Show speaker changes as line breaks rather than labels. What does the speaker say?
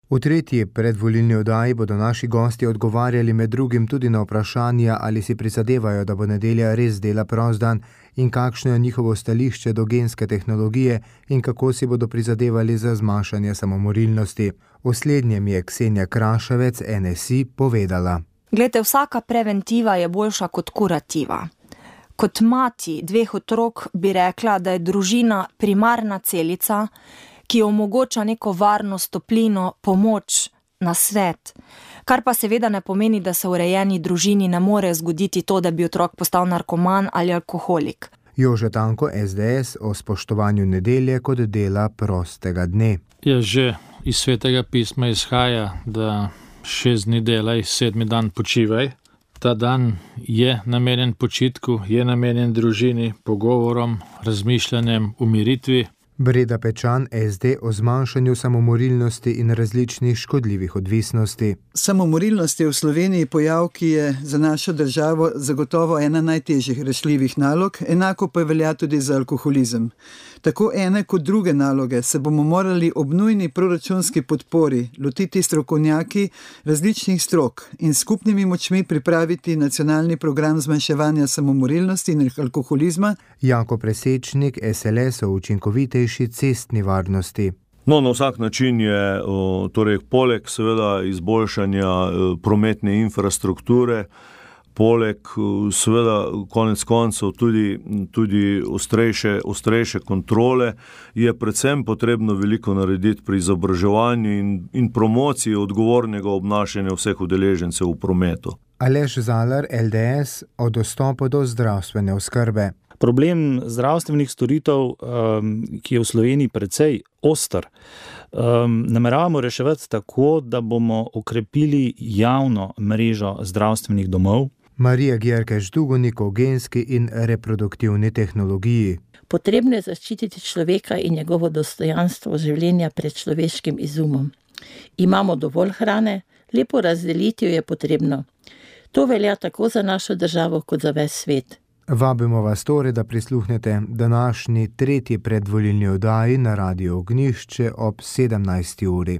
V tretji predvolilni oddaji bodo naši gosti odgovarjali med drugim tudi na vprašanja, ali si prizadevajo, da bo nedelja res dela prost dan in kakšno je njihovo stališče do genske tehnologije in kako si bodo prizadevali za zmanjšanje samomorilnosti. V slednjem je Ksenija Kraševec, NSI, povedala.
Glejte, vsaka preventiva je boljša kot kurativa. Kot mati 2 otrok bi rekla, da je družina primarna celica, ki omogoča neko varnost, toplino, pomoč, nasvet. Kar pa seveda ne pomeni, da se v urejeni družini ne more zgoditi to, da bi otrok postal narkoman ali alkoholik.
Jože Tanko, SDS, o spoštovanju nedelje kot dela prostega dne.
Ja, že iz Svetega pisma izhaja, da 6 dni delaj, 7. dan počivaj. Ta dan je namenjen počitku, je namenjen družini, pogovorom, razmišljanjem, umiritvi.
Breda Pečan, SD, o zmanjšanju samomorilnosti in različnih škodljivih odvisnosti.
Samomorilnost je v Sloveniji pojav, ki je za našo državo zagotovo ena najtežjih rešljivih nalog, enako pa velja tudi za alkoholizem. Tako ene kot druge naloge se bomo morali ob nujni proračunski podpori lotiti strokovnjaki različnih strok in skupnimi močmi pripraviti nacionalni program zmanjševanja samomorilnosti in alkoholizma.
Jako Presečnik, SLS, o učinkovitejši cestni varnosti.
No, na vsak način je, torej poleg seveda izboljšanja prometne infrastrukture, poleg seveda konec koncev tudi ostrejše kontrole, je predvsem potrebno veliko narediti pri izobraževanju in promociji odgovornega obnašanja vseh udeležencev v prometu.
Aleš Zalar, LDS, o dostopu do zdravstvene oskrbe.
Problem zdravstvenih storitev, ki je v Sloveniji precej oster, nameravamo reševati tako, da bomo okrepili javno mrežo zdravstvenih domov.
Marija Gjerkeš-Dugonik o genski in reproduktivni tehnologiji.
Potrebno je zaščititi človeka in njegovo dostojanstvo življenja pred človeškim izumom. Imamo dovolj hrane, lepo razdeliti jo je potrebno. To velja tako za našo državo kot za ves svet.
Vabimo vas torej, da prisluhnete današnji tretji predvolilni oddaji na Radiu Ognjišče ob 17. uri.